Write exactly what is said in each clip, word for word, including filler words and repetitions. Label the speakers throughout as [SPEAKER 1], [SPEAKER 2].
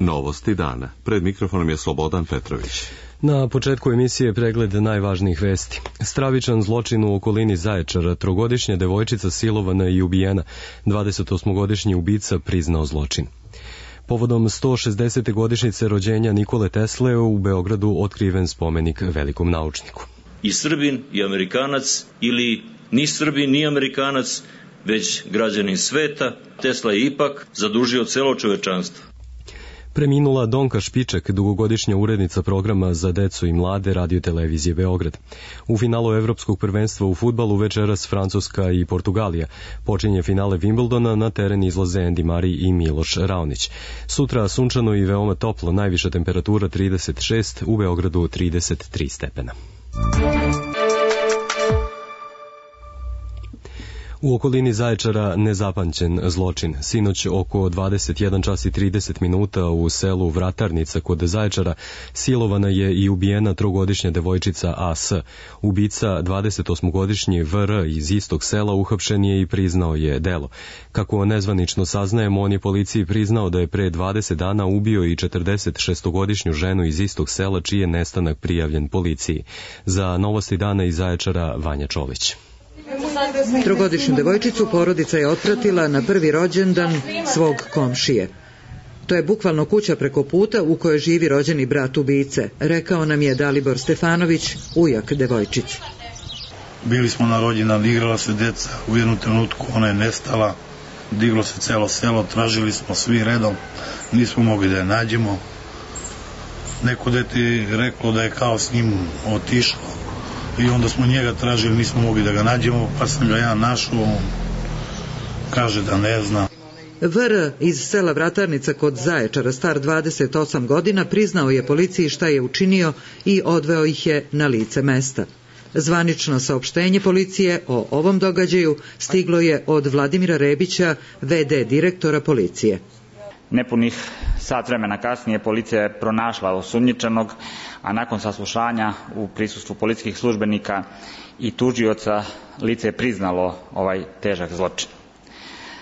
[SPEAKER 1] Novosti dana. Pred mikrofonom je Slobodan Petrović.
[SPEAKER 2] Na početku emisije pregled najvažnijih vesti. Stravičan zločin u okolini Zaječara, trogodišnja devojčica silovana i ubijena, dvadesetosmogodišnji ubica priznao zločin. Povodom sto šezdesete godišnjice rođenja Nikole Tesle u Beogradu otkriven spomenik velikom naučniku.
[SPEAKER 3] I Srbin i Amerikanac, ili ni Srbin ni Amerikanac, već građanin sveta, Tesla je ipak zadužio celo čovečanstvo.
[SPEAKER 2] Preminula Donka Špiček, dugogodišnja urednica programa za decu i mlade Radio-televizije Beograd. U finalu Evropskog prvenstva u fudbalu večeras Francuska i Portugalija. Počinje finale Wimbledona, na teren izlaze Andy Murray i Miloš Raonić. Sutra sunčano i veoma toplo, najviša temperatura trideset šest, u Beogradu trideset tri stepena. U okolini Zaječara nezapamćen zločin. Sinoć oko dvadeset jedan čas i trideset minuta u selu Vratarnica kod Zaječara silovana je i ubijena trogodišnja devojčica A S. Ubica, dvadesetosmogodišnji V R iz istog sela, uhapšen je i priznao je delo. Kako nezvanično saznajemo, on je policiji priznao da je pre dvadeset dana ubio i četrdesetšestogodišnju ženu iz istog sela, čiji je nestanak prijavljen policiji. Za Novosti dana iz Zaječara, Vanja Čolić.
[SPEAKER 4] Trogodišnju devojčicu porodica je otpratila na prvi rođendan svog komšije. To je bukvalno kuća preko puta u kojoj živi rođeni brat ubice, rekao nam je Dalibor Stefanović, ujak devojčice.
[SPEAKER 5] Bili smo na rođendan, igrala se deca, u jednom trenutku ona je nestala, diglo se celo selo, tražili smo svi redom, nismo mogli da je nađemo. Neko dete je reklo da je kao s njim otišlo. I onda smo njega tražili, nismo mogli da ga nađemo, pa sam ga ja našao, kaže da ne zna.
[SPEAKER 4] V R iz sela Vratarnica kod Zaječara, star dvadeset osam godina, priznao je policiji šta je učinio i odveo ih je na lice mesta. Zvanično saopštenje policije o ovom događaju stiglo je od Vladimira Rebića, V D direktora policije.
[SPEAKER 6] Nepunih sat vremena kasnije policija je pronašla osumnjičenog, a nakon saslušanja u prisustvu policijskih službenika i tužioca lice je priznalo ovaj težak zločin.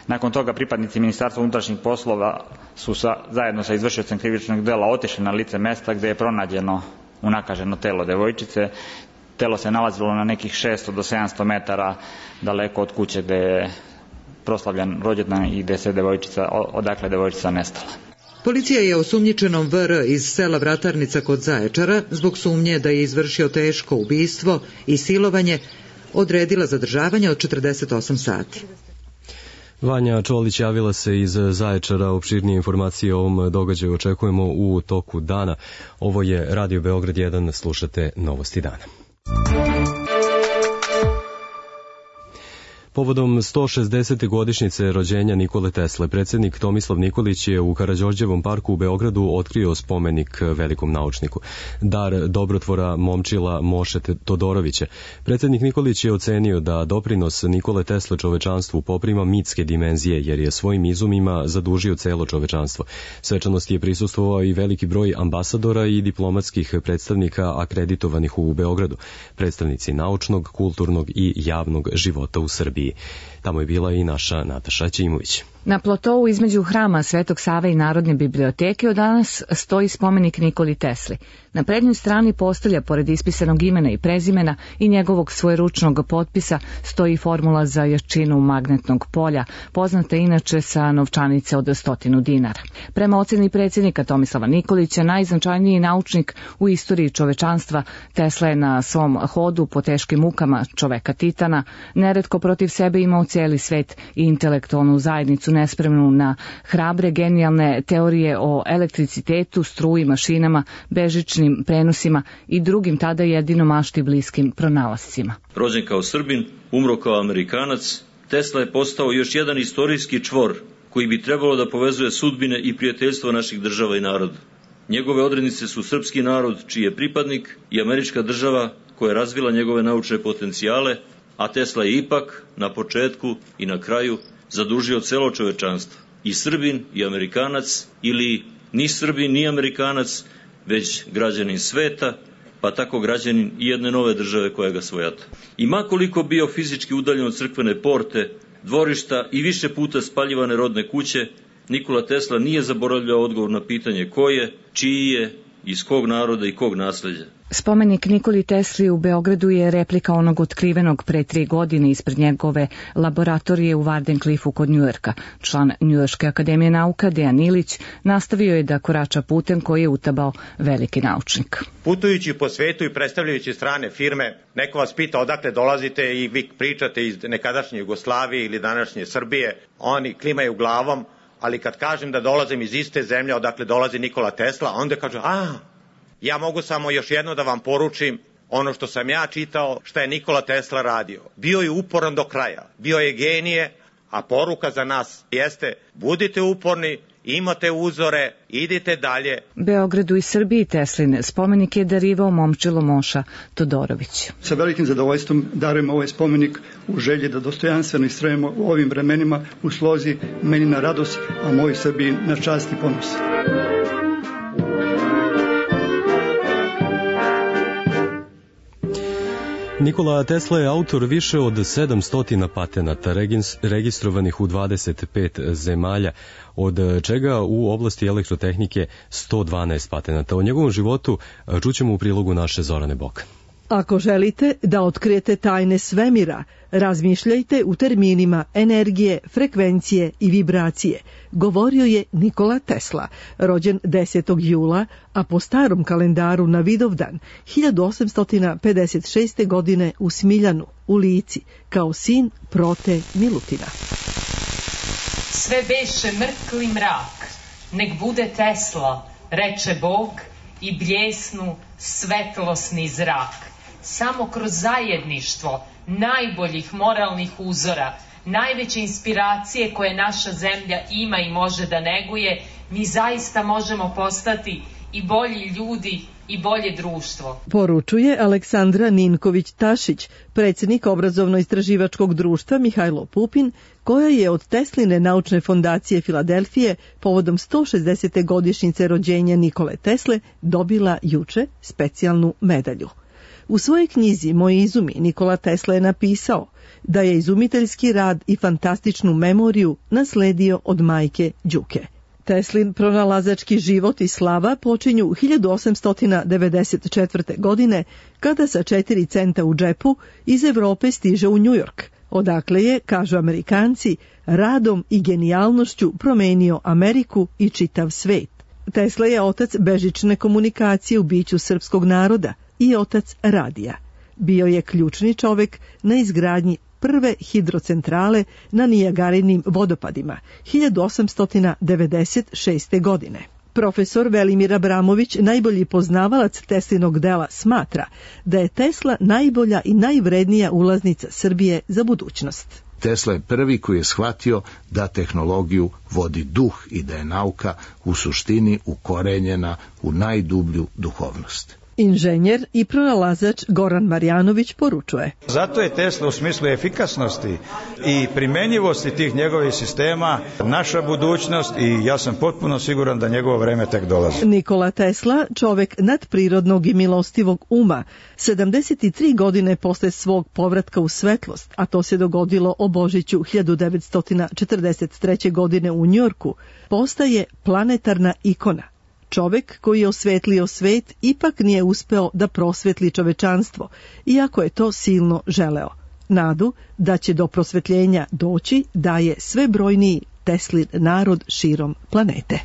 [SPEAKER 6] Nakon toga pripadnici Ministarstva unutrašnjih poslova su sa, zajedno sa izvršiocem krivičnog dela otišli na lice mesta gde je pronađeno unakaženo telo devojčice. Telo se nalazilo na nekih šesto do sedamsto metara daleko od kuće gde je proslavljen rođendan i gde se devojčica, odakle devojčica nestala.
[SPEAKER 4] Policija je osumnjičenom V R iz sela Vratarnica kod Zaječara, zbog sumnje da je izvršio teško ubistvo i silovanje, odredila zadržavanje od četrdeset osam sati.
[SPEAKER 2] Vanja Čolić javila se iz Zaječara. Opširnije informacije o ovom događaju očekujemo u toku dana. Ovo je Radio Beograd jedan, slušate Novosti dana. Povodom sto šezdesete godišnjice rođenja Nikole Tesle, predsjednik Tomislav Nikolić je u Karađorđevom parku u Beogradu otkrio spomenik velikom naučniku. Dar dobrotvora Momčila Moše Todorovića. Predsjednik Nikolić je ocenio da doprinos Nikole Tesle čovečanstvu poprima mitske dimenzije, jer je svojim izumima zadužio celo čovečanstvo. Svečanosti je prisustvovao i veliki broj ambasadora i diplomatskih predstavnika akreditovanih u Beogradu, predstavnici naučnog, kulturnog i javnog života u Srbiji. Tamo je bila i naša Nataša Ćimović.
[SPEAKER 7] Na platou između hrama Svetog Save i Narodne biblioteke od danas stoji spomenik Nikoli Tesli. Na prednjoj strani postolja, pored ispisanog imena i prezimena i njegovog svojeručnog potpisa, stoji formula za jačinu magnetnog polja, poznata inače sa novčanice od stotinu dinara. Prema oceni predsjednika Tomislava Nikolića, najznačajniji naučnik u istoriji čovečanstva, Tesla je na svom hodu po teškim mukama čoveka Titana neretko protiv sebe imao cijeli svet i intelektualnu zajednicu nespremnu na hrabre, genijalne teorije o elektricitetu, struji, mašinama, bežičnim prenosima i drugim tada jedino mašti bliskim pronalascima.
[SPEAKER 3] Rođen kao Srbin, umro kao Amerikanac, Tesla je postao još jedan istorijski čvor koji bi trebalo da povezuje sudbine i prijateljstvo naših država i naroda. Njegove odrednice su srpski narod, čiji je pripadnik, i američka država koja je razvila njegove naučne potencijale, a Tesla je ipak na početku i na kraju zadužio celo čovečanstvo. I Srbin i Amerikanac, ili ni Srbin ni Amerikanac, već građanin sveta, pa tako građanin i jedne nove države koja ga svojata. I makoliko bio fizički udaljen od crkvene porte, dvorišta i više puta spaljivane rodne kuće, Nikola Tesla nije zaboravljao odgovor na pitanje ko je, čiji je, iz kog naroda i kog nasleđa.
[SPEAKER 7] Spomenik Nikoli Tesli u Beogradu je replika onog otkrivenog pre tri godine ispred njegove laboratorije u Wardenclyffu kod Njujorka. Član Njujorške akademije nauka Dejan Ilić nastavio je da korača putem koji je utabao veliki naučnik.
[SPEAKER 8] Putujući po svetu i predstavljajući strane firme, neko vas pita odakle dolazite i vi pričate iz nekadašnje Jugoslavije ili današnje Srbije, oni klimaju glavom, ali kad kažem da dolazim iz iste zemlje odakle dolazi Nikola Tesla, onda kažu, a, ja mogu samo još jedno da vam poručim ono što sam ja čitao, šta je Nikola Tesla radio. Bio je uporan do kraja, bio je genije, a poruka za nas jeste, budite uporni, imate uzore, idite dalje.
[SPEAKER 7] Beogradu i Srbiji Teslin spomenik je darivao momčilo Moša Todorović.
[SPEAKER 9] Sa velikim zadovoljstvom darujem ovaj spomenik u želji da dostojanstveno istrajemo u ovim vremenima u slozi meni na radost, a moj Srbiji na čast i ponos.
[SPEAKER 2] Nikola Tesla je autor više od sedamsto patenata registrovanih u dvadeset pet zemalja, od čega u oblasti elektrotehnike sto dvanaest patenata. O njegovom životu čućemo u prilogu naše Zorane Bok.
[SPEAKER 10] Ako želite da otkrijete tajne svemira, razmišljajte u terminima energije, frekvencije i vibracije, govorio je Nikola Tesla, rođen desetog jula, a po starom kalendaru na Vidovdan hiljadu osamsto pedeset šeste. godine u Smiljanu, u Lici, kao sin Prote Milutina.
[SPEAKER 11] Sve beše mrkli mrak, nek bude Tesla, reče Bog, i bljesnu svetlosni zrak. Samo kroz zajedništvo najboljih moralnih uzora, najveće inspiracije koje naša zemlja ima i može da neguje, mi zaista možemo postati i bolji ljudi i bolje društvo.
[SPEAKER 10] Poručuje Aleksandra Ninković-Tašić, predsjednik obrazovno-istraživačkog društva Mihajlo Pupin, koja je od Tesline naučne fondacije Filadelfije povodom sto šezdesete godišnjice rođenja Nikole Tesle dobila juče specijalnu medalju. U svojoj knjizi Moji izumi Nikola Tesla je napisao da je izumiteljski rad i fantastičnu memoriju nasledio od majke Đuke. Teslin pronalazački život i slava počinju hiljadu osamsto devedeset četvrte. godine, kada sa četiri centa u džepu iz Evrope stiže u Njujork, odakle je, kažu Amerikanci, radom i genijalnošću promenio Ameriku i čitav svet. Tesla je otac bežične komunikacije u biću srpskog naroda i otac radija. Bio je ključni čovek na izgradnji prve hidrocentrale na Nijagarinim vodopadima hiljadu osamsto devedeset šeste. godine. Profesor Velimir Abramović, najbolji poznavalac Teslinog dela, smatra da je Tesla najbolja i najvrednija ulaznica Srbije za budućnost.
[SPEAKER 12] Tesla je prvi koji je shvatio da tehnologiju vodi duh i da je nauka u suštini ukorenjena u najdublju duhovnost.
[SPEAKER 10] Inženjer i pronalazač Goran Marjanović poručuje.
[SPEAKER 13] Zato je Tesla u smislu efikasnosti i primenjivosti tih njegovih sistema naša budućnost i ja sam potpuno siguran da njegovo vreme tek dolazi.
[SPEAKER 10] Nikola Tesla, čovek nadprirodnog i milostivog uma, sedamdeset tri godine posle svog povratka u svetlost, a to se dogodilo o Božiću hiljadu devetsto četrdeset treće. godine u Njujorku, postaje planetarna ikona. Čovek koji je osvetlio svet ipak nije uspeo da prosvetli čovečanstvo, iako je to silno želeo. Nadu da će do prosvetljenja doći daje sve brojniji Teslin narod širom planete.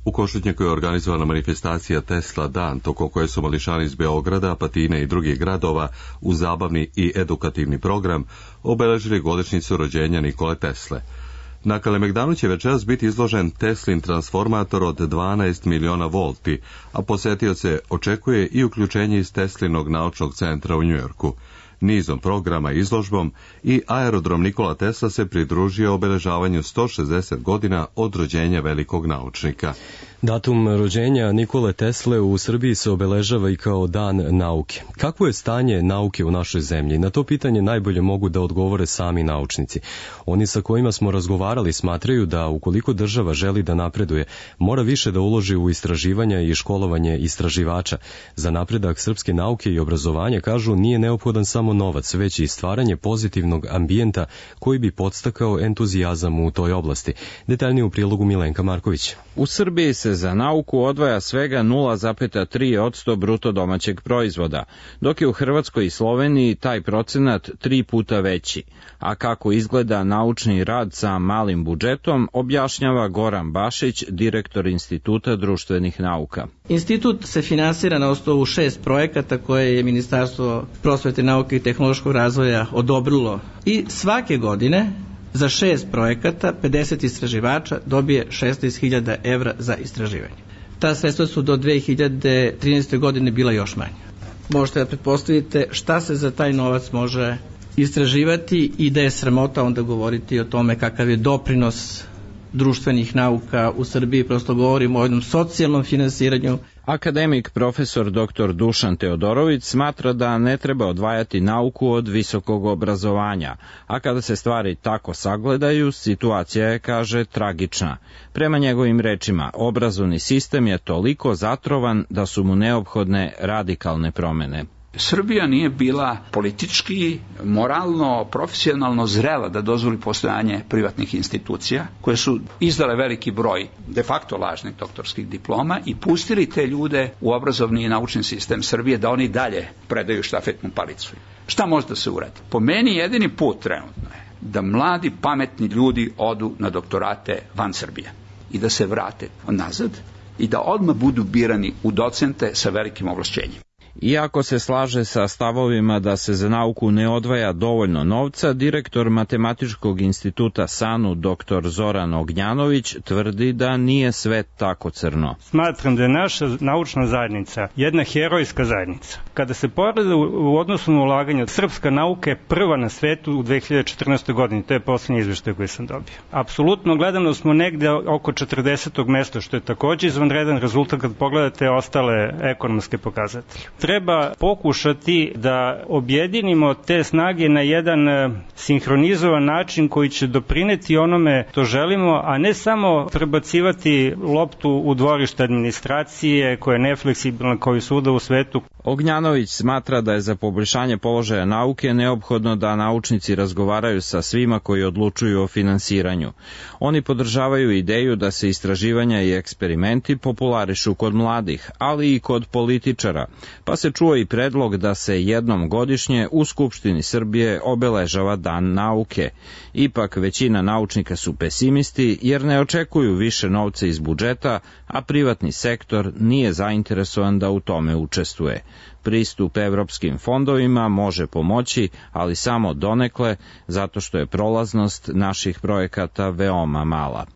[SPEAKER 1] U Košutnjaku je organizovana manifestacija Tesla dan, toko koje su mališani iz Beograda, Apatine i drugih gradova u zabavni i edukativni program obeležili godišnjicu rođenja Nikole Tesle. Na Kalemegdanu će večeras biti izložen Teslin transformator od dvanaest miliona volti, a posetioce očekuje i uključenje iz Teslinog naučnog centra u Njujorku. Nizom programa i izložbom i aerodrom Nikola Tesla se pridružio obeležavanju sto šezdeset godina od rođenja velikog naučnika.
[SPEAKER 2] Datum rođenja Nikole Tesle u Srbiji se obeležava i kao dan nauke. Kakvo je stanje nauke u našoj zemlji? Na to pitanje najbolje mogu da odgovore sami naučnici. Oni sa kojima smo razgovarali smatraju da ukoliko država želi da napreduje, mora više da uloži u istraživanja i školovanje istraživača. Za napredak srpske nauke i obrazovanja, kažu, nije neophodan samo samo novac, već i stvaranje pozitivnog ambijenta koji bi podstakao entuzijazam u toj oblasti. Detaljnije u prilogu Milenka Marković.
[SPEAKER 14] U Srbiji se za nauku odvaja svega nula zarez tri posto bruto domaćeg proizvoda, dok je u Hrvatskoj i Sloveniji taj procenat tri puta veći. A kako izgleda naučni rad sa malim budžetom, objašnjava Goran Bašić, direktor Instituta društvenih nauka.
[SPEAKER 15] Institut se finansira na osnovu šest projekata koje je Ministarstvo prosvete, nauke i tehnološkog razvoja odobrilo. I svake godine za šest projekata pedeset istraživača dobije šesnaest hiljada evra za istraživanje. Ta sredstva su do dve hiljade trinaeste. godine bila još manja. Možete da pretpostavite šta se za taj novac može istraživati i da je sramota onda govoriti o tome kakav je doprinos društvenih nauka u Srbiji. Prosto govorimo o jednom socijalnom finansiranju.
[SPEAKER 14] Akademik profesor doktor Dušan Teodorović smatra da ne treba odvajati nauku od visokog obrazovanja, a kada se stvari tako sagledaju, situacija je, kaže, tragična. Prema njegovim rečima, obrazovni sistem je toliko zatrovan da su mu neophodne radikalne promene.
[SPEAKER 16] Srbija nije bila politički, moralno, profesionalno zrela da dozvoli postojanje privatnih institucija koje su izdale veliki broj de facto lažnih doktorskih diploma i pustili te ljude u obrazovni i naučni sistem Srbije da oni dalje predaju štafetnu palicu. Šta može da se uradi? Po meni jedini put trenutno je da mladi pametni ljudi odu na doktorate van Srbije i da se vrate nazad i da odmah budu birani u docente sa velikim ovlašćenjem.
[SPEAKER 14] Iako se slaže sa stavovima da se za nauku ne odvaja dovoljno novca, direktor Matematičkog instituta SANU dr Zoran Ognjanović tvrdi da nije sve tako crno.
[SPEAKER 17] Smatram da je naša naučna zajednica jedna herojska zajednica. Kada se pogleda u odnosu na ulaganje, srpska nauka je prva na svetu u dve hiljade četrnaestoj. godini, to je posljednji izveštaj koji sam dobio. Apsolutno gledano smo negde oko četrdesetog mesta, što je takođe izvanredan rezultat kad pogledate ostale ekonomske pokazatelje. Treba pokušati da objedinimo te snage na jedan sinhronizovan način koji će doprineti onome što želimo, a ne samo prebacivati loptu u dvorište administracije koja je nefleksibilna kao i svuda u svetu.
[SPEAKER 14] Ognjanović smatra da je za poboljšanje položaja nauke neophodno da naučnici razgovaraju sa svima koji odlučuju o finansiranju. Oni podržavaju ideju da se istraživanja i eksperimenti popularišu kod mladih, ali i kod političara, pa se čuo i predlog da se jednom godišnje u Skupštini Srbije obeležava Dan nauke. Ipak većina naučnika su pesimisti jer ne očekuju više novca iz budžeta, a privatni sektor nije zainteresovan da u tome učestvuje. Pristup evropskim fondovima može pomoći, ali samo donekle, zato što je prolaznost naših projekata veoma mala.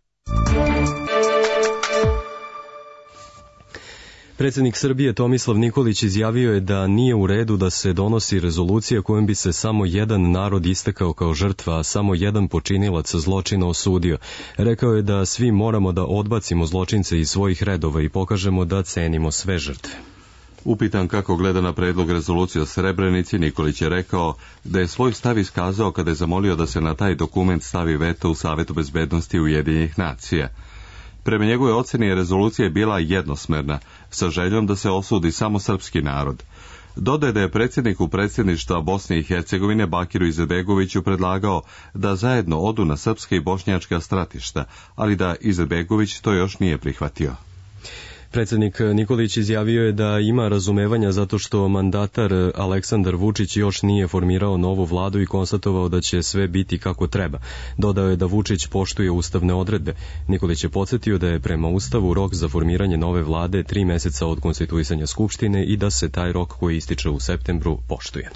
[SPEAKER 2] Predsjednik Srbije Tomislav Nikolić izjavio je da nije u redu da se donosi rezolucija kojom bi se samo jedan narod istakao kao žrtva, a samo jedan počinilac zločina osudio. Rekao je da svi moramo da odbacimo zločince iz svojih redova i pokažemo da cenimo sve žrtve.
[SPEAKER 1] Upitan kako gleda na predlog rezolucije o Srebrenici, Nikolić je rekao da je svoj stav iskazao kada je zamolio da se na taj dokument stavi veto u Savetu bezbednosti Ujedinjenih nacija. Prema njegove oceni je rezolucija bila jednosmerna, sa željom da se osudi samo srpski narod. Dodaje da je predsjedniku predsjedništva Bosne i Hercegovine Bakiru Izetbegoviću predlagao da zajedno odu na srpske i bošnjačka stratišta, ali da Izetbegović to još nije prihvatio.
[SPEAKER 2] Predsjednik Nikolić izjavio je da ima razumevanja zato što mandatar Aleksandar Vučić još nije formirao novu vladu i konstatovao da će sve biti kako treba. Dodao je da Vučić poštuje ustavne odredbe. Nikolić je podsjetio da je prema ustavu rok za formiranje nove vlade tri meseca od konstituisanja Skupštine i da se taj rok koji ističe u septembru poštuje.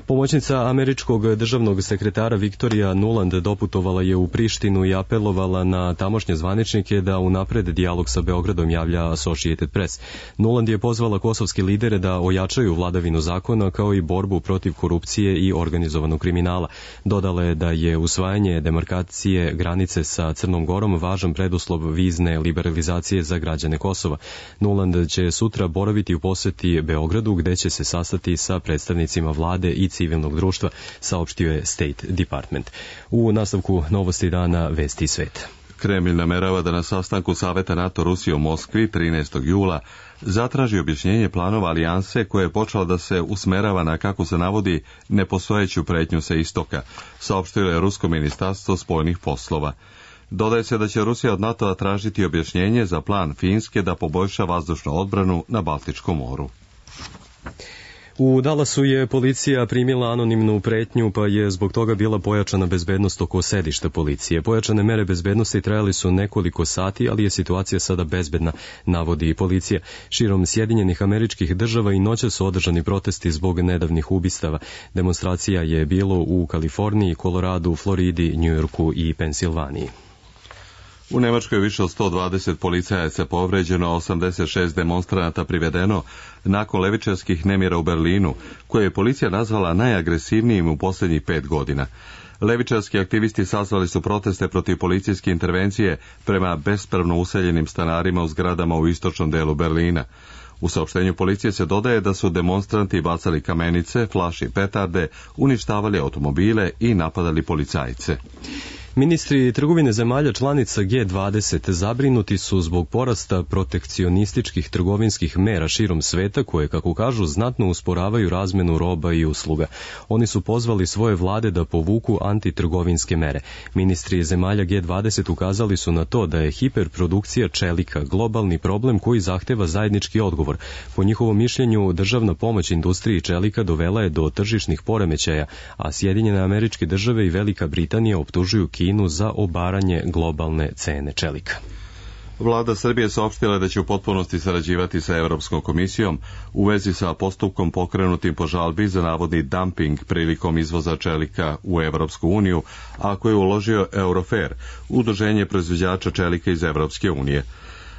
[SPEAKER 2] Pomoćnica američkog državnog sekretara Viktorija Nuland doputovala je u Prištinu i apelovala na tamošnje zvaničnike da unapred dijalog sa Beogradom, javlja Associated Press. Nuland je pozvala kosovske lidere da ojačaju vladavinu zakona kao i borbu protiv korupcije i organizovanog kriminala. Dodala je da je usvajanje demarkacije granice sa Crnom Gorom važan preduslov vizne liberalizacije za građane Kosova. Nuland će sutra boraviti u poseti Beogradu gde će se sastati sa predstavnicima vlade i civilnog društva, saopštio je State Department. U nastavku novosti dana Vesti i sveta.
[SPEAKER 1] Kremlj namerava da na sastanku Saveta NATO Rusije u Moskvi trinaestog jula zatraži objašnjenje planova alijanse koja je počela da se usmerava na, kako se navodi, nepostojeću pretnju sa istoka, saopštilo je Rusko ministarstvo spoljnih poslova. Dodaje se da će Rusija od NATO-a tražiti objašnjenje za plan Finske da poboljša vazdušnu odbranu na Baltičkom moru.
[SPEAKER 2] U Dallasu je policija primila anonimnu pretnju, pa je zbog toga bila pojačana bezbednost oko sedišta policije. Pojačane mere bezbednosti trajali su nekoliko sati, ali je situacija sada bezbedna, navodi policija. Širom Sjedinjenih Američkih Država i noća su održani protesti zbog nedavnih ubistava. Demonstracija je bilo u Kaliforniji, Koloradu, Floridi, Njujorku i Pensilvaniji.
[SPEAKER 1] U Nemačkoj je više od sto dvadeset policajaca povređeno, osamdeset šest demonstranata privedeno nakon levičarskih nemira u Berlinu, koje je policija nazvala najagresivnijim u posljednjih pet godina. Levičarski aktivisti sazvali su proteste protiv policijske intervencije prema bespravno useljenim stanarima u zgradama u istočnom delu Berlina. U saopštenju policije se dodaje da su demonstranti bacali kamenice, flaši i petarde, uništavali automobile i napadali policajce.
[SPEAKER 2] Ministri trgovine zemalja članica G dvadeset zabrinuti su zbog porasta protekcionističkih trgovinskih mera širom sveta koje, kako kažu, znatno usporavaju razmenu roba i usluga. Oni su pozvali svoje vlade da povuku antitrgovinske mere. Ministri zemalja G dvadeset ukazali su na to da je hiperprodukcija čelika globalni problem koji zahteva zajednički odgovor. Po njihovom mišljenju, državna pomoć industriji čelika dovela je do tržišnih poremećaja, a Sjedinjene Američke Države i Velika Britanija optužuju Kinu za obaranje globalne cene čelika.
[SPEAKER 1] Vlada Srbije saopštila da će u potpunosti sarađivati sa Evropskom komisijom u vezi sa postupkom pokrenutim po žalbi za navodni dumping prilikom izvoza čelika u Evropsku uniju, a koje je uložio Eurofer, udruženje proizvođača čelika iz Evropske unije.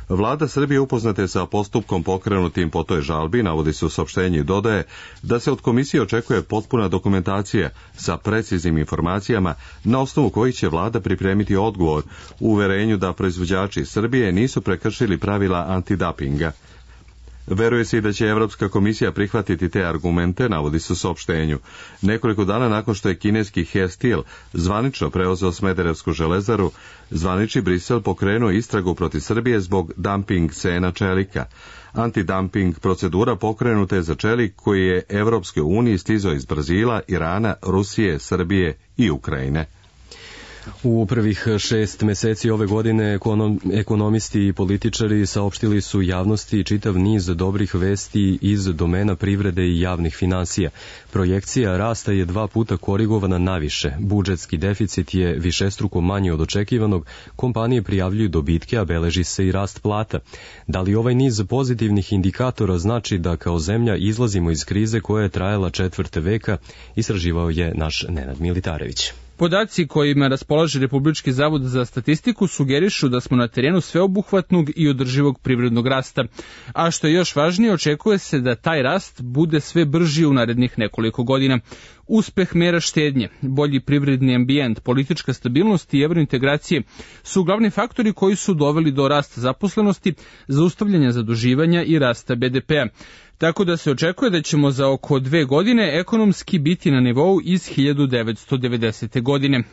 [SPEAKER 1] Vlada Srbije upoznate sa postupkom pokrenutim po toj žalbi, navodi se u saopštenju i dodaje da se od komisije očekuje potpuna dokumentacija sa preciznim informacijama na osnovu kojih će vlada pripremiti odgovor u uverenju da proizvođači Srbije nisu prekršili pravila antidapinga. Veruje se i da će Evropska komisija prihvatiti te argumente, navodi se u saopštenju. Nekoliko dana nakon što je kineski Herstil zvanično preuzeo Smederevsku železaru, zvanični Brisel pokrenuo istragu protiv Srbije zbog dumping cena čelika. Antidumping procedura pokrenuta je za čelik koji je Evropskoj uniji stizao iz Brazila, Irana, Rusije, Srbije i Ukrajine.
[SPEAKER 2] U prvih šest meseci ove godine ekonom, ekonomisti i političari saopštili su javnosti čitav niz dobrih vesti iz domena privrede i javnih finansija. Projekcija rasta je dva puta korigovana naviše. Budžetski deficit je višestruko manji od očekivanog, kompanije prijavljuju dobitke, a beleži se i rast plata. Da li ovaj niz pozitivnih indikatora znači da kao zemlja izlazimo iz krize koja je trajala četvrt veka, istraživao je naš Nenad Militarević.
[SPEAKER 18] Podaci kojima raspolaže Republički zavod za statistiku sugerišu da smo na terenu sveobuhvatnog i održivog privrednog rasta, a što je još važnije, očekuje se da taj rast bude sve brži u narednih nekoliko godina. Uspeh mera štednje, bolji privredni ambijent, politička stabilnost i evrointegracije su glavni faktori koji su doveli do rasta zaposlenosti, zaustavljanja zaduživanja i rasta be de pea. Tako da se očekuje da ćemo za oko dve godine ekonomski biti na nivou iz hiljadu devetsto devedesete. godine.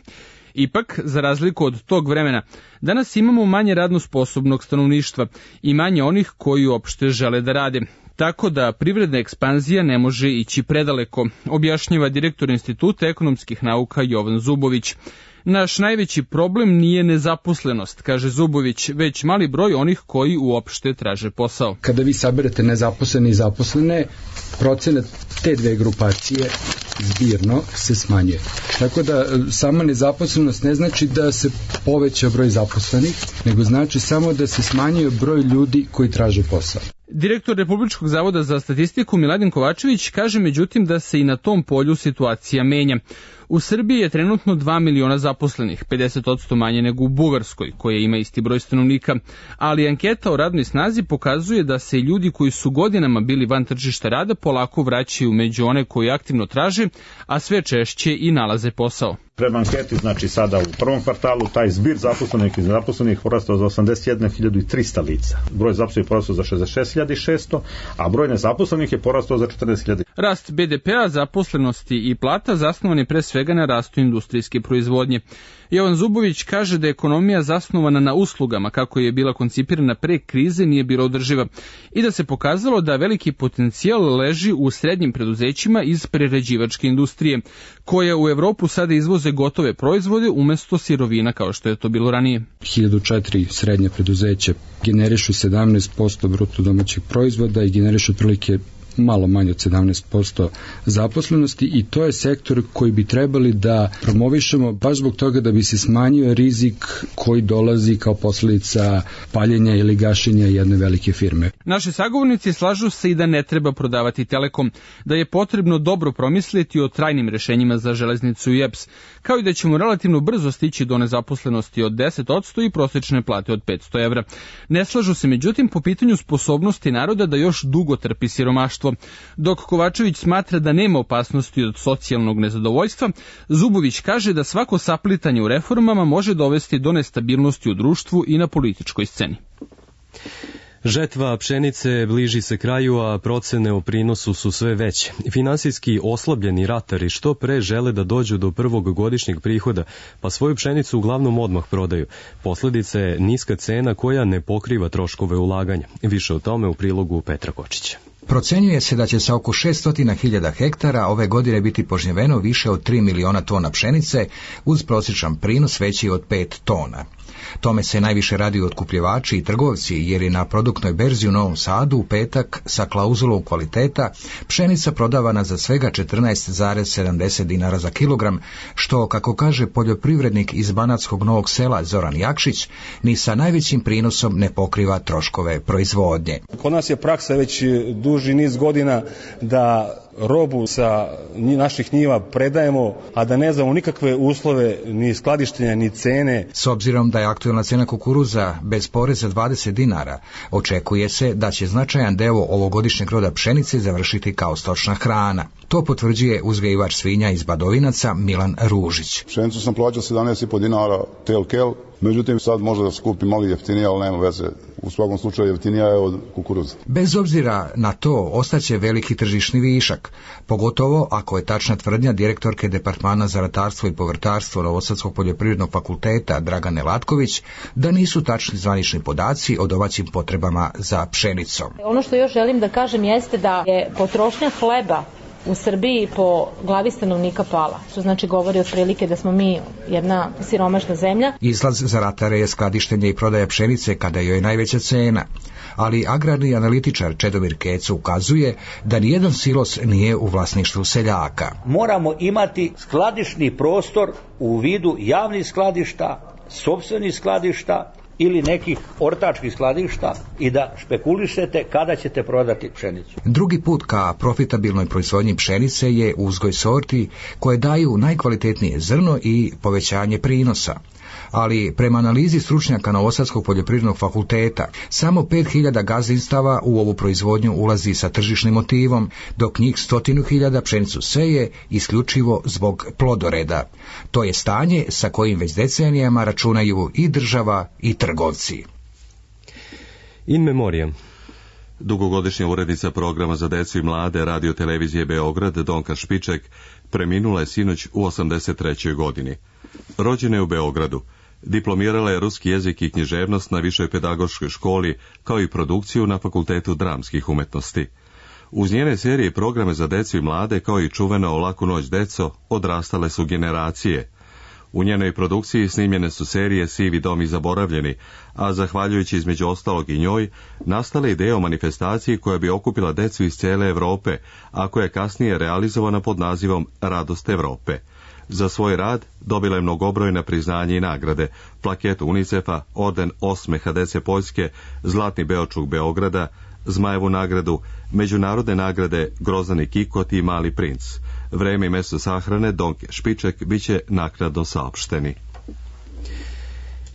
[SPEAKER 18] Ipak, za razliku od tog vremena, danas imamo manje radno sposobnog stanovništva i manje onih koji uopšte žele da rade. Tako da privredna ekspanzija ne može ići predaleko, objašnjava direktor Instituta ekonomskih nauka Jovan Zubović. Naš najveći problem nije nezaposlenost, kaže Zubović, već mali broj onih koji uopšte traže posao.
[SPEAKER 19] Kada vi saberete nezaposlene i zaposlene, procenat te dve grupacije zbirno se smanjuje. Tako da sama nezaposlenost ne znači da se poveća broj zaposlenih, nego znači samo da se smanjuje broj ljudi koji traže posao.
[SPEAKER 18] Direktor Republičkog zavoda za statistiku Miladin Kovačević kaže međutim da se i na tom polju situacija menja. U Srbiji je trenutno dva miliona zaposlenih, pedeset posto manje nego u Bugarskoj, koja ima isti broj stanovnika, ali anketa o radnoj snazi pokazuje da se ljudi koji su godinama bili van tržišta rada polako vraćaju među one koji aktivno traže, a sve češće i nalaze posao.
[SPEAKER 20] Prema anketi, znači sada u prvom kvartalu, taj zbir zaposlenih i nezaposlenih porastao za osamdeset jednu hiljadu trista lica. Broj zaposlenih porastao za šezdeset šest hiljada šesto, a broj nezaposlenih je porastao za četrnaest hiljada.
[SPEAKER 18] Rast be de pea, zaposlenosti i plata zasnovan je pre svega svega na rastu industrijske proizvodnje. Jovan Zubović kaže da ekonomija zasnovana na uslugama, kako je bila koncipirana pre krize, nije bila održiva i da se pokazalo da veliki potencijal leži u srednjim preduzećima iz prerađivačke industrije, koja u Evropu sada izvoze gotove proizvode umesto sirovina kao što je to bilo ranije.
[SPEAKER 19] hiljadu četiri srednje preduzeće generišu sedamnaest posto bruto domaćeg proizvoda i generišu otprilike malo manje od sedamnaest posto zaposlenosti i to je sektor koji bi trebali da promovišemo baš zbog toga da bi se smanjio rizik koji dolazi kao posledica paljenja ili gašenja jedne velike firme.
[SPEAKER 18] Naši sagovornici slažu se i da ne treba prodavati Telekom, da je potrebno dobro promisliti o trajnim rešenjima za železnicu i E P S, kao i da ćemo relativno brzo stići do nezaposlenosti od deset posto i prosječne plate od petsto evra. Ne slažu se međutim po pitanju sposobnosti naroda da još dugo trpi siromaštvo. Dok Kovačević smatra da nema opasnosti od socijalnog nezadovoljstva, Zubović kaže da svako saplitanje u reformama može dovesti do nestabilnosti u društvu i na političkoj sceni.
[SPEAKER 2] Žetva pšenice bliži se kraju, a procene o prinosu su sve veće. Finansijski oslabljeni ratari što pre žele da dođu do prvog godišnjeg prihoda, pa svoju pšenicu uglavnom odmah prodaju. Posledica je niska cena koja ne pokriva troškove ulaganja. Više o tome u prilogu Petra Kočića.
[SPEAKER 21] Procenjuje se da će sa oko šesto hiljada hektara ove godine biti požnjeveno više od tri miliona tona pšenice uz prosječan prinos veći od pet tona. Tome se najviše radi otkupljivači i trgovci, jer je na produktnoj berzi u Novom Sadu u petak sa klauzulom kvaliteta pšenica prodavana za svega četrnaest zarez sedamdeset dinara za kilogram, što, kako kaže poljoprivrednik iz Banatskog Novog Sela Zoran Jakšić, ni sa najvećim prinosom ne pokriva troškove proizvodnje.
[SPEAKER 22] Kod nas je praksa već duži niz godina da robu sa naših njiva predajemo, a da ne znamo nikakve uslove ni skladištenja ni cene.
[SPEAKER 21] S obzirom da je aktuelna cena kukuruza bez poreza dvadeset dinara, očekuje se da će značajan deo ovogodišnjeg roda pšenice završiti kao stočna hrana. To potvrđuje uzgajivač svinja iz Badovinaca Milan Ružić.
[SPEAKER 23] Pšenicu sam plaćao sedamnaest i po dinara tel kel, međutim sad može da skupi malo jeftinije, ali nema veze. U svakom slučaju jeftinija je od kukuruza.
[SPEAKER 21] Bez obzira na to, ostaće veliki tržišni višak, pogotovo ako je tačna tvrdnja direktorke Departmana za ratarstvo i povrtarstvo Novosadskog poljoprivrednog fakulteta Dragane Latković, da nisu tačni zvanični podaci o domaćim potrebama za pšenicom.
[SPEAKER 24] Ono što još želim da kažem jeste da je potrošnja hleba u Srbiji po glavi stanovnika pala, što znači govori otprilike da smo mi jedna siromašna zemlja.
[SPEAKER 21] Izlaz za ratare je skladištenje i prodaja pšenice kada joj je najveća cena, ali agrarni analitičar Čedomir Keco ukazuje da nijedan silos nije u vlasništvu seljaka.
[SPEAKER 25] Moramo imati skladišni prostor u vidu javnih skladišta, sopstvenih skladišta ili nekih ortačkih skladišta i da špekulišete kada ćete prodati pšenicu.
[SPEAKER 21] Drugi put ka profitabilnoj proizvodnji pšenice je uzgoj sorti koje daju najkvalitetnije zrno i povećanje prinosa. Ali prema analizi stručnjaka Novosadskog poljoprivrednog fakulteta, samo pet hiljada gazdinstava u ovu proizvodnju ulazi sa tržišnim motivom, dok njih stotinu hiljada pšenicu seje isključivo zbog plodoreda. To je stanje sa kojim već decenijama računaju i država i trgovci.
[SPEAKER 2] In memoriam.
[SPEAKER 1] Dugogodišnja urednica programa za decu i mlade radio televizije Beograd Donka Špiček preminula je sinoć u osamdeset trećoj godini. Rođena je u Beogradu. Diplomirala je ruski jezik i književnost na Višoj pedagoškoj školi, kao i produkciju na Fakultetu dramskih umetnosti. Uz njene serije i programe za decu i mlade, kao i čuveno O laku noć deco, odrastale su generacije. U njenoj produkciji snimljene su serije Sivi dom i Zaboravljeni, a zahvaljujući između ostalog i njoj, nastale ideje o manifestaciji koja bi okupila decu iz cijele Evrope, a koja je kasnije realizovana pod nazivom Radost Evrope. Za svoj rad dobila je mnogobrojna priznanja i nagrade, plaketu UNICEF-a, orden osmeha dece Poljske, Zlatni Beočuk Beograda, Zmajevu nagradu, međunarodne nagrade Grozdani Kikot i Mali princ. Vreme i mesto sahrane Donke Špiček biće naknadno saopšteni.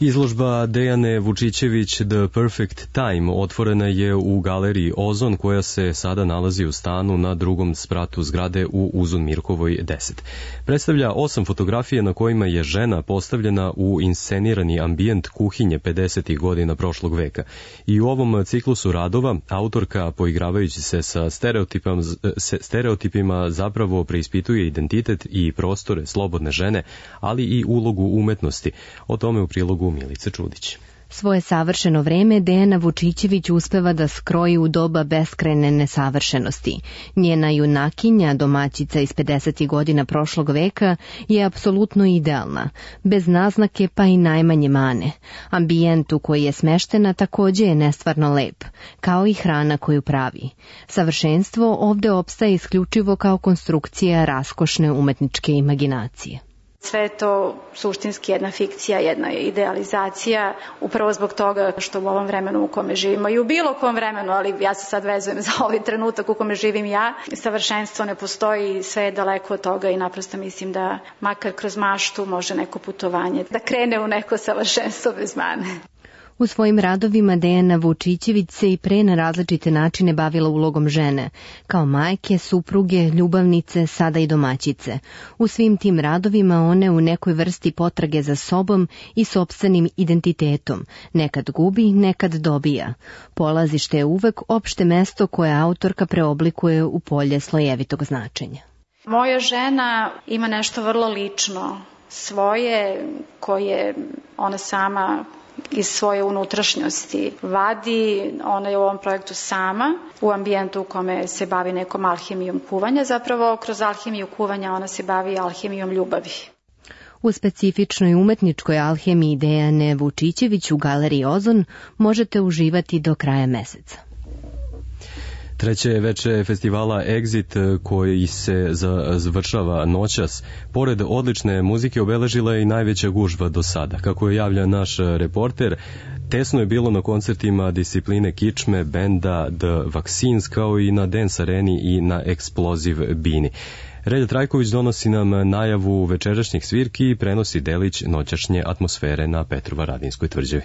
[SPEAKER 2] Izložba Dejane Vučićević The Perfect Time otvorena je u galeriji Ozon koja se sada nalazi u stanu na drugom spratu zgrade u Uzun Mirkovoj deset. Predstavlja osam fotografija na kojima je žena postavljena u inscenirani ambijent kuhinje pedesetih godina prošlog veka. I u ovom ciklusu radova autorka, poigravajući se sa stereotipima, stereotipima zapravo preispituje identitet i prostore slobodne žene, ali i ulogu umetnosti. O tome u prilogu Milice Čudić.
[SPEAKER 3] Svoje savršeno vreme Dejana Vučićević uspeva da skroji u doba beskrajne nesavršenosti. Njena junakinja, domaćica iz pedesetih godina prošlog veka, je apsolutno idealna, bez naznake pa i najmanje mane. Ambijent u koji je smeštena takođe je nestvarno lep, kao i hrana koju pravi. Savršenstvo ovde opstaje isključivo kao konstrukcija raskošne umetničke imaginacije.
[SPEAKER 4] Sve je to suštinski jedna fikcija, jedna idealizacija, upravo zbog toga što u ovom vremenu u kome živimo i u bilo kom vremenu, ali ja se sad vezujem za ovaj trenutak u kome živim ja, savršenstvo ne postoji, sve je daleko od toga i naprosto mislim da makar kroz maštu može neko putovanje da krene u neko savršenstvo bez mane.
[SPEAKER 3] U svojim radovima Dejana Vučićević se i pre na različite načine bavila ulogom žene, kao majke, supruge, ljubavnice, sada i domaćice. U svim tim radovima one u nekoj vrsti potrage za sobom i sopstvenim identitetom, nekad gubi, nekad dobija. Polazište je uvek opšte mesto koje autorka preoblikuje u polje slojevitog značenja.
[SPEAKER 4] Moja žena ima nešto vrlo lično, svoje koje ona sama iz svoje unutrašnjosti vadi. Ona je u ovom projektu sama, u ambijentu u kome se bavi nekom alhemijom kuvanja. Zapravo, kroz alhemiju kuvanja ona se bavi alhemijom ljubavi.
[SPEAKER 3] U specifičnoj umetničkoj alhemiji Dejane Vučićević u galeriji Ozon možete uživati do kraja meseca.
[SPEAKER 2] Treće veče festivala Exit koji se završava noćas, pored odlične muzike obeležila je i najveća gužva do sada. Kako je javlja naš reporter, tesno je bilo na koncertima discipline kičme, benda The Vaccines, kao i na Dance Areni i na Explosive Bini. Relja Trajković donosi nam najavu večerašnjih svirki i prenosi delić noćašnje atmosfere na Petrovaradinskoj tvrđavi.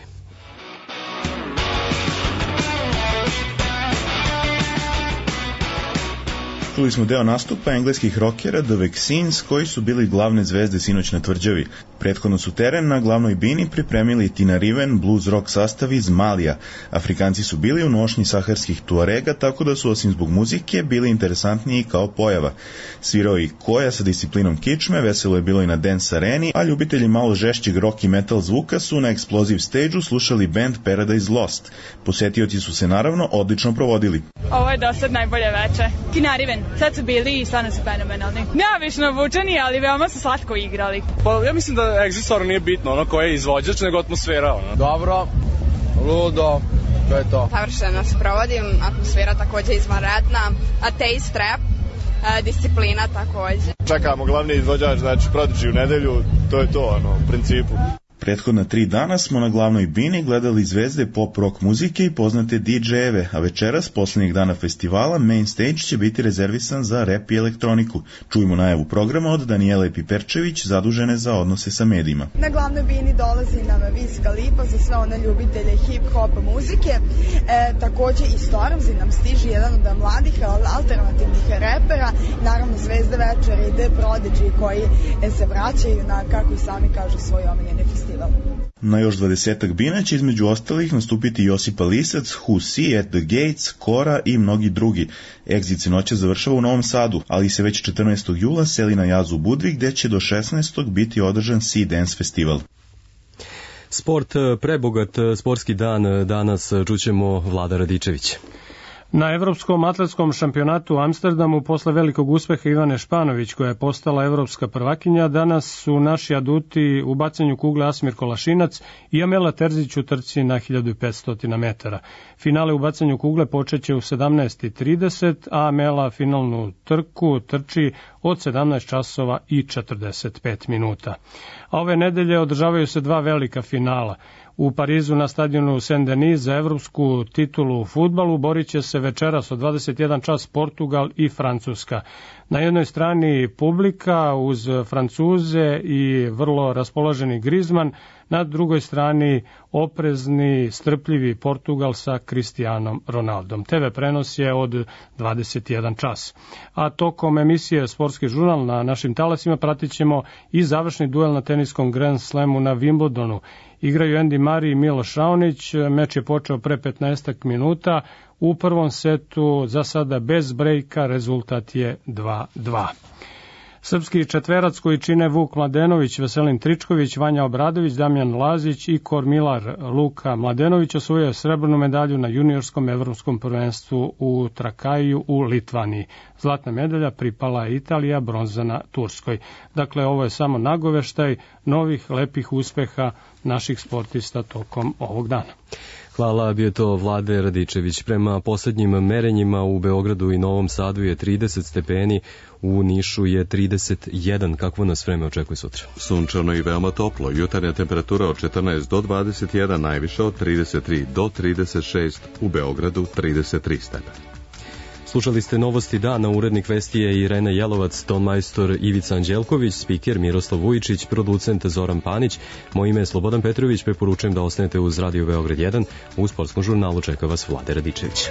[SPEAKER 5] Čuli smo deo nastupa engleskih rokera The Vaccines, koji su bili glavne zvezde sinoć na tvrđavi. Prethodno su teren na glavnoj bini pripremili Tina Riven, blues rock sastav iz Malija. Afrikanci su bili u nošnji saharskih tuarega, tako da su osim zbog muzike bili interesantniji kao pojava. Svirao i Koja sa disciplinom kičme, veselo je bilo i na Dance Areni, a ljubitelji malo žešćeg rock i metal zvuka su na Explosive Stage-u slušali band Paradise Lost. Posetioci su se naravno odlično provodili.
[SPEAKER 6] Ovo je dosad najbolje veče. Tina Riven, sad su bili i stvarno su fenomenalni. Neobično obučeni, ali veoma su slatko igrali.
[SPEAKER 8] Pa ja mislim da Exit stvarno nije bitno, ono koje je izvođač, nego atmosfera. Ono. Dobro, ludo, to je to.
[SPEAKER 26] Savršeno se provodim, atmosfera takođe izvanredna, a taste rap, disciplina takođe.
[SPEAKER 8] Čekamo glavni izvođač, znači Prodigy u nedelju, to je to, ono, u principu.
[SPEAKER 5] Prethodna tri dana smo na glavnoj bini gledali zvezde pop rock muzike i poznate di džejeve, a večeras, poslednjeg dana festivala, main stage će biti rezervisan za rap i elektroniku. Čujemo najavu programa od Danijele Piperčević, zadužene za odnose sa medijima.
[SPEAKER 27] Na glavnoj bini dolazi nam Wiz Khalifa za sve one ljubitelje hip-hop muzike. E, takođe i Stormzy nam stiže, jedan od mladih alternativnih repera. Naravno, zvezde večera i The Prodigy koji se vraćaju na, kako i sami kažu, svoj omiljeni festival.
[SPEAKER 5] Na još dvadesetak bina će između ostalih nastupiti Josipa Lisac, Who See, At the Gates, Kora i mnogi drugi. Exit se noće završava u Novom Sadu, ali se već četrnaestog jula seli na Jazu u Budvi, gde će do šesnaestog biti održan Sea Dance festival.
[SPEAKER 2] Sport, prebogat sportski dan, danas čućemo Vlada Radičević.
[SPEAKER 28] Na Evropskom atletskom šampionatu u Amsterdamu posle velikog uspeha Ivane Španović, koja je postala evropska prvakinja, danas su naši aduti u bacanju kugle Asmir Kolašinac i Amela Terzić u trci na hiljadu petsto metara. Finale u bacanju kugle počeće u sedamnaest i trideset, a Amela finalnu trku trči od sedamnaest časova i četrdeset pet minuta. A ove nedelje održavaju se dva velika finala. U Parizu na stadionu Saint-Denis za evropsku titulu u fudbalu borit će se se večeras od dvadeset jedan čas Portugal i Francuska. Na jednoj strani publika uz Francuze i vrlo raspoloženi Griezmann, na drugoj strani oprezni, strpljivi Portugal sa Cristianom Ronaldom. te ve prenos je od dvadeset jedan čas. A tokom emisije Sportski žurnal na našim talasima pratit ćemo i završni duel na teniskom Grand Slamu na Wimbledonu. Igraju Andy Murray i Miloš Raonić, meč je počeo pre petnaestak minuta, u prvom setu za sada bez brejka, rezultat je dva dva. Srpski četverac koji čine Vuk Mladenović, Veselin Tričković, Vanja Obradović, Damjan Lazić i Kormilar Luka Mladenović osvojio srebrnu medalju na juniorskom evropskom prvenstvu u Trakaju u Litvaniji. Zlatna medalja pripala je Italija, bronza na Turskoj. Dakle, ovo je samo nagoveštaj novih lepih uspeha naših sportista tokom ovog dana.
[SPEAKER 2] Hvala, bio to Vlade Radičević. Prema poslednjim merenjima u Beogradu i Novom Sadu je trideset stepeni, u Nišu je trideset jedan. Kakvo nas vreme očekuje sutra?
[SPEAKER 1] Sunčano i veoma toplo. Jutarnja temperatura od četrnaest do dvadeset jedan, najviša od trideset tri do trideset šest, u Beogradu trideset tri stepena.
[SPEAKER 2] Slušali ste Novosti dana, urednik vesti je Irena Jelovac, tonmajstor Ivica Anđelković, spiker Miroslav Vujičić, producent Zoran Panić. Moje ime je Slobodan Petrović, preporučujem da ostanete uz Radio Beograd jedan. U sportskom žurnalu čeka vas Vlade Radičević.